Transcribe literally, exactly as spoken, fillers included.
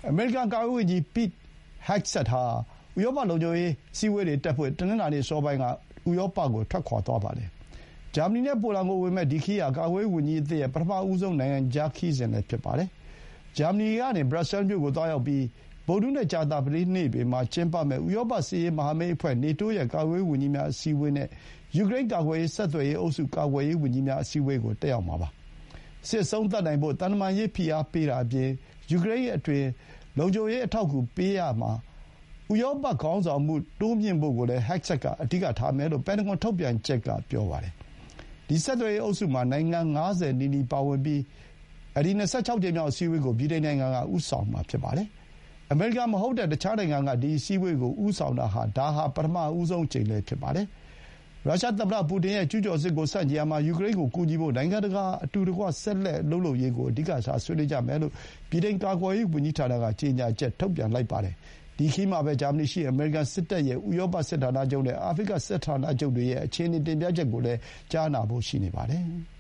အမေရိကန်ကာကွယ်ရေးဝန်ကြီး Pete Hegseth ဟာဥရောပလုံခြုံရေးအစည်းအဝေးတွေတက်ဖို့တနင်္လာနေ့အစောပိုင်းကဥရောပကိုထွက်ခွါသွားပါတယ်။ဂျာမနီနဲ့ပိုလန်ကိုဝင်မဲ့ဒီခရီးဟာကာကွယ်ရေးဝန်ကြီးအသစ်ရဲ့ပထမဆုံးနိုင်ငံခြားခရီးစဉ်လည်းဖြစ်ပါတယ်။ဂျာမနီကနေဘရပ်ဆဲလ်မြို့ကိုသွားရောက်ပြီးဗုဒ္ဓဟူးနဲ့ကြာသပတေးနေ့တွေမှာကျင်းပမယ့်ဥရောပစစ်ရေးမဟာမိတ်အဖွဲ့ နေတိုးရဲ့ကာကွယ်ရေးဝန်ကြီးများအစည်းအဝေးနဲ့ယူကရိန်းကာကွယ်ရေးဆက်သွယ်ရေးအုပ်စုကာကွယ်ရေးဝန်ကြီးများအစည်းအဝေးကိုတက်ရောက်မှာပါ။စစ်အဆုံးသတ်နိုင်ဖို့သံတမန်ရေးဖိအားပေးတာအပြင်ယူကရိန်းအတွင်းလုံခြုံရေးအထောက်အကူပေးရာမှာဥရောပခေါင်းဆောင်မှုတိုးမြှင့်ဖို့ကိုလည်း Hegseth ကအဓိကထားမယ်လို့ပန်တဂွန်ထုတ်ပြန်ချက်ကပြောပါတယ်။ဒီဆက်သွယ်ရေးအုပ်စုမှာနိုင်ငံငါးဆယ်နီးနီးပါဝင်ပြီးအဲဒီ၂၆ ကြိမ်မြောက်အစည်းအဝေးကိုဗြိတိန်နိုင်ငံကဦးဆောင်မှာဖြစ်ပါတယ်။အမေရိကန်မဟုတ်တဲ့တခြားနိုင်ငံကဒီအစည်းအဝေးကိုဦးဆောင်တာဟာဒါဟာပထမဆုံးအကြိမ်လည်းဖြစ်ပါတယ်။ရုရှားသမ္မတပူတင်ရဲ့ကျူးကျော်စစ်ကိုဆန့်ကျင်ရာမှာယူကရိန်းကိုကူညီဖို့နိုင်ငံတကာအတူတကွဆက်လက်အလုပ်လုပ်ရေးကိုအဓိကထားဆွေးနွေးကြမယ်လို့ဗြိတိန်ကာကွယ်ရေးဝန်ကြီးဌာနကကြေညာချက်ထုတ်ပြန်လိုက်ပါတယ်။ဒီခရီးမှာပဲဂျာမနီရှိအမေရိကန်စစ်တပ်ရဲ့ဥရောပစစ်ဌာနချုပ်နဲ့အာဖရိကစစ်ဌာနချုပ်တွေရဲ့အခြေအနေတင်ပြချက်ကိုလည်းကြားနာဖို့ရှိနေပါတယ်။